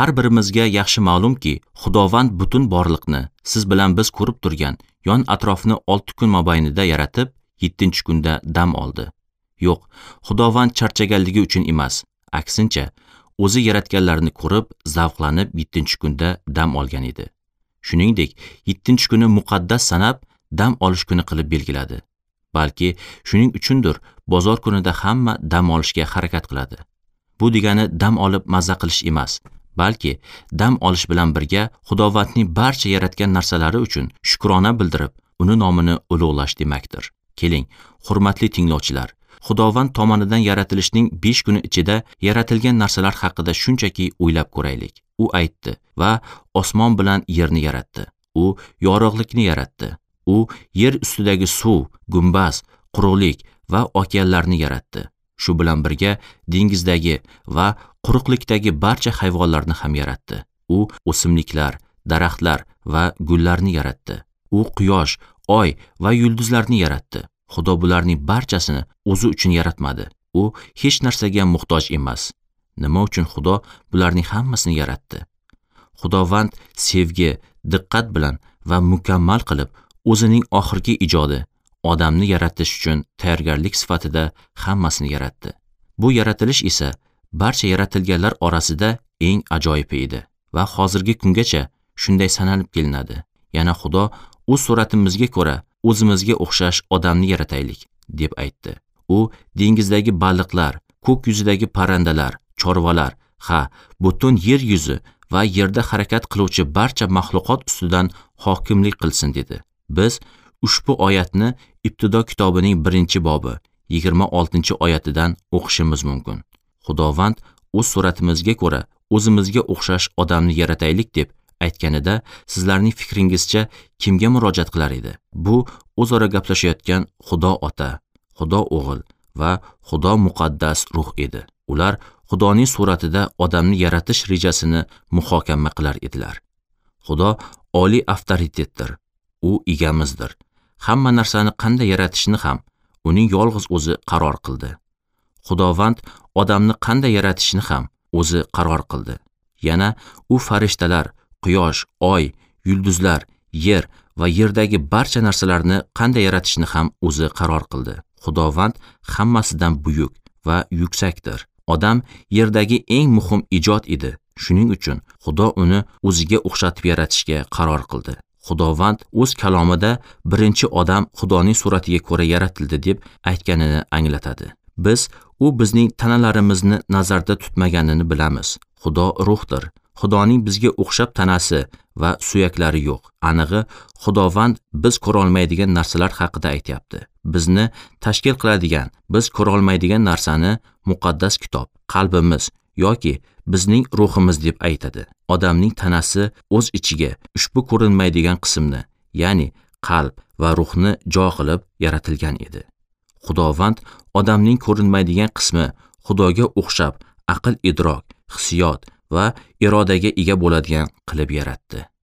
Har birimizga yaxshi ma'lumki, Xudovand butun borliqni siz bilan biz ko'rib turgan yon atrofni 6 kun mobaynida yaratib, 7-kunda dam oldi. Yo'q, Xudovand charchaganligi uchun emas, aksincha, o'zi yaratganlarini ko'rib, zavqlanib 7-kunda dam olgan edi. Shuningdek, 7-kuni muqaddas sanab, dam olish kuni qilib belgiladi. Balki shuning uchundir bozor kunida hamma dam olishga harakat qiladi. Bu degani dam olib mazza qilish emas, balki dam olish bilan birga Xudovandning barcha yaratgan narsalari uchun shukrona bildirib, uni nomini ulug'lash demakdir. Keling, hurmatli tinglovchilar, Xudovand tomonidan yaratilishning 5 kuni ichida yaratilgan narsalar haqida shunchaki o'ylab ko'raylik. U aytdi va osmon bilan yerni yaratdi. U yorug'likni yaratdi. U yer ustidagi suv, gumbaz, quruqlik va okeanlarni yaratdi. Shu bilan birga dengizdagi va quruqlikdagi barcha hayvonlarni ham yaratdi. U o'simliklar, daraxtlar va gullarni yaratdi. U quyosh, oy va yulduzlarni yaratdi. Xudo bularning barchasini o'zi uchun yaratmadi. U hech narsaga muhtoj emas. Nima uchun Xudo bularning hammasini yaratdi? Xudovand sevgi, diqqat bilan va mukammal qilib o'zining oxirgi ijodi odamni yaratish uchun tayyorgarlik sifatida hammasini yaratdi. Bu yaratilish esa barcha yaratilganlar orasida eng ajoyibi edi va hozirgi kungacha shunday sanalib kelinadi. Yana Xudo o'z suratimizga ko'ra o'zimizga o'xshash odamni yarataylik deb aytdi. U dengizdagi baliqlar, ko'k yuzidagi parrandalar, chorvalar, ha, butun yer yuzi va yerda harakat qiluvchi barcha maxluqot ustidan hokimlik qilsin dedi. Biz ushbu oyatni Ibtido kitobining 1-bobi 26-oyatidan o'qishimiz mumkin. Xudovand o'z suratimizga ko'ra o'zimizga o'xshash odamni yarataylik deb aytganida sizlarning fikringizcha kimga murojaat qilar edi? Bu o'zaro gaplashayotgan Xudo Ota, Xudo O'g'il va Xudo Muqaddas Ruh edi. Ular Xudoning suratida odamni yaratish rejasini muhokama qilar edilar. Xudo oliy avtoritetdir. U egamizdir. Hamma narsani qanday yaratishni ham uning yolg'iz o'zi qaror qildi. Xudovand odamni qanday yaratishni ham o'zi qaror qildi. Yana u farishtalar, quyosh, oy, yulduzlar, yer va yerdagi barcha narsalarni qanday yaratishni ham o'zi qaror qildi. Xudovand hammasidan buyuk va yuksakdir. Odam yerdagi eng muhim ijod edi. Shuning uchun Xudo uni o'ziga o'xshatib yaratishga qaror qildi. Xudovand o'z kalomida birinchi odam Xudoning suratiga ko'ra yaratildi deb aytganini anglatadi. Biz u bizning tanalarimizni nazarda tutmaganini bilamiz. Xudo ruhdir. Xudoning bizga o'xshab tanasi va suyaklari yo'q. Anig'i, Xudovand biz ko'ra olmaydigan narsalar haqida aytyapti. Bizni tashkil qiladigan, biz ko'ra olmaydigan narsani muqaddas kitob, qalbimiz yoki bizning ruhimiz deb aytadi. Odamning tanasi o'z ichiga ushbu ko'rinmaydigan qismni, ya'ni qalb va ruhni jo qilib yaratilgan edi. Xudovand odamning ko'rinmaydigan qismi Xudoga o'xshab aql idrok, hissiyot va irodaga ega bo'ladigan qilib yaratdi.